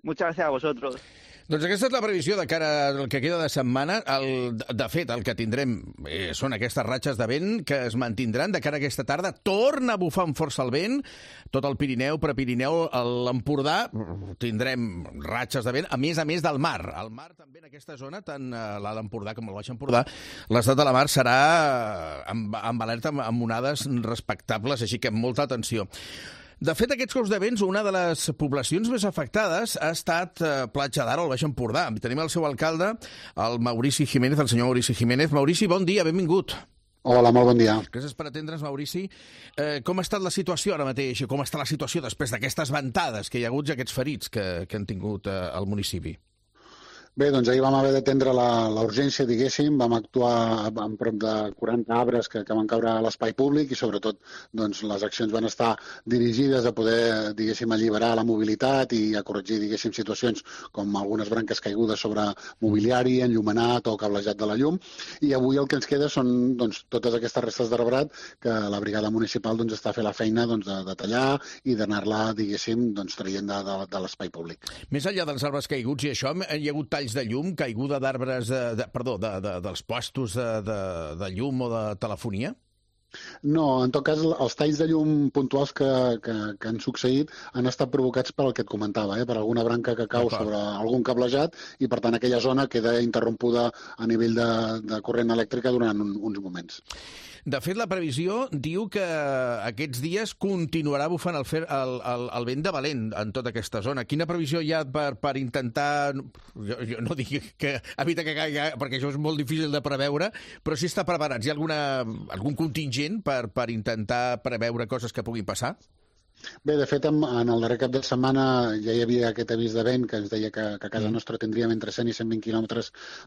Muchas gracias a vosotros. Doncs aquesta és la previsió de cara al que queda de setmana. De fet, el que tindrem són aquestes ratxes de vent que es mantindran de cara a aquesta tarda. Torna a bufar amb força el vent. Tot el Pirineu, Prepirineu, l'Empordà, tindrem ratxes de vent, a més del mar. El mar també en aquesta zona, tant l'Alt Empordà com el Baix Empordà, l'estat de la mar serà amb alerta, amb onades respectables, així que amb molta atenció. De fet, aquests cops de vents, una de les poblacions més afectades ha estat Platja d'Aro, al Baix Empordà. Tenim el seu alcalde, el Maurici Jiménez, el senyor Maurici Jiménez. Maurici, bon dia, benvingut. Hola, molt bon dia. Gràcies per atendre'ns, Maurici. Com ha estat la situació ara mateix? Com està la situació després d'aquestes ventades que hi ha hagut i aquests ferits que han tingut al municipi? Bé, doncs ahir vam haver d'atendre la urgència, diguéssim. Vam actuar amb prop de 40 arbres que van caure a l'espai públic i, sobretot, doncs, les accions van estar dirigides a poder, diguéssim, alliberar la mobilitat i a corregir, diguéssim, situacions com algunes branques caigudes sobre mobiliari, enllumenat o cablejat de la llum. I avui el que ens queda són doncs, totes aquestes restes d'arbrat que la brigada municipal doncs, està fent la feina doncs, de tallar i d'anar-la, diguéssim, doncs, traient de l'espai públic. Més enllà dels arbres caiguts i això, hi ha hagut talls de llum, caiguda d'arbres, dels puestos de llum o de telefonia? No, en tot cas, els talls de llum puntuals que han succeït han estat provocats per el que et comentava, per alguna branca que cau sobre algun cablejat i, per tant, aquella zona queda interrompuda a nivell de corrent elèctrica durant uns moments. De fet, la previsió diu que aquests dies continuarà bufant el vent de valent en tota aquesta zona. Quina previsió hi ha per intentar... Jo no dic que evitar que caigui, perquè això és molt difícil de preveure, però si està preparats. Hi ha algun contingent per intentar preveure coses que puguin passar? Bé, de fet, en el darrer cap de setmana ja hi havia aquest avís de vent que ens deia que a casa nostra tindríem entre 100 i 120 km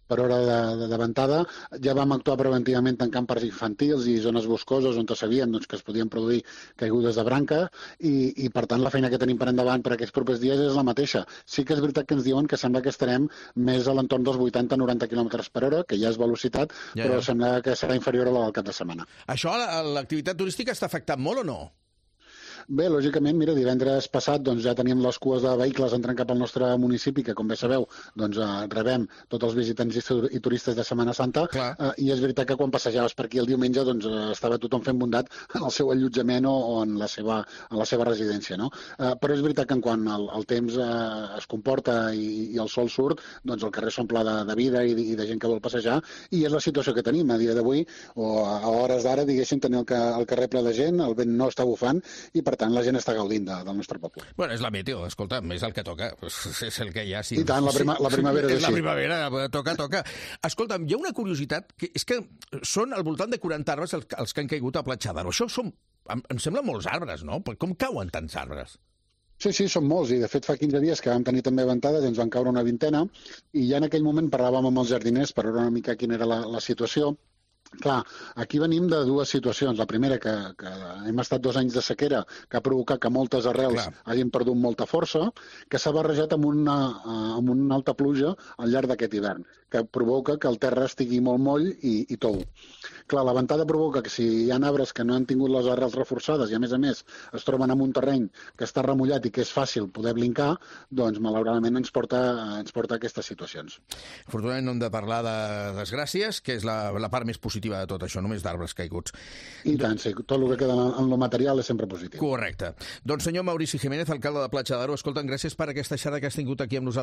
per hora de ventada. Ja vam actuar preventivament tancant parcs infantils i zones boscoses on sabíem que es podien produir caigudes de branca i, per tant, la feina que tenim per endavant per aquests propers dies és la mateixa. Sí que és veritat que ens diuen que sembla que estarem més a l'entorn dels 80-90 km per hora, que ja és velocitat, però sembla que serà inferior a la del cap de setmana. Això, l'activitat turística està afectant molt o no? Bé, lògicament, mira, divendres passat doncs, ja teníem les cues de vehicles entrant cap al nostre municipi, que, com bé sabeu, doncs, rebem tots els visitants i turistes de Setmana Santa, i és veritat que quan passejaves per aquí el diumenge doncs, estava tothom fent bondat en el seu allotjament o en la seva residència. No? Però és veritat que quan el temps es comporta i el sol surt, doncs el carrer s'omple de vida i de gent que vol passejar, i és la situació que tenim a dia d'avui, o a hores d'ara, diguéssim, tenir el carrer ple de gent, el vent no està bufant, i per tant la gent està gaudint del nostre poble. Bueno, és la meteo, escolta, és el que toca, és el que hi ha. I tant, la primavera és així. La primavera, toca. Escolta'm, hi ha una curiositat, que és que són al voltant de 40 arbres els que han caigut a Platja d'Aro. Això em sembla molts arbres, no? Com cauen tants arbres? Sí, són molts, i de fet fa 15 dies que vam tenir també ventades i ens van caure una vintena, i ja en aquell moment parlàvem amb els jardiners per veure una mica quina era la situació. Clar, aquí venim de dues situacions. La primera, que hem estat 2 anys de sequera, que ha provocat que moltes arrels hagin perdut molta força, que s'ha barrejat amb una alta pluja al llarg d'aquest hivern, que provoca que el terra estigui molt moll i tou. Clar, la ventada provoca que si hi ha arbres que no han tingut les arrels reforçades i, a més es troben en un terreny que està remullat i que és fàcil poder blincar, doncs, malauradament, ens porta a aquestes situacions. Afortunadament no hem de parlar de desgràcies, que és la part més positiva de tot això, només d'arbres caiguts. I tant, sí, tot el que queda en lo material és sempre positiu. Correcte. Doncs, senyor Maurici Jiménez, alcalde de Platja d'Aro, escolta'm, gràcies per aquesta xerrada que has tingut aquí amb nosaltres.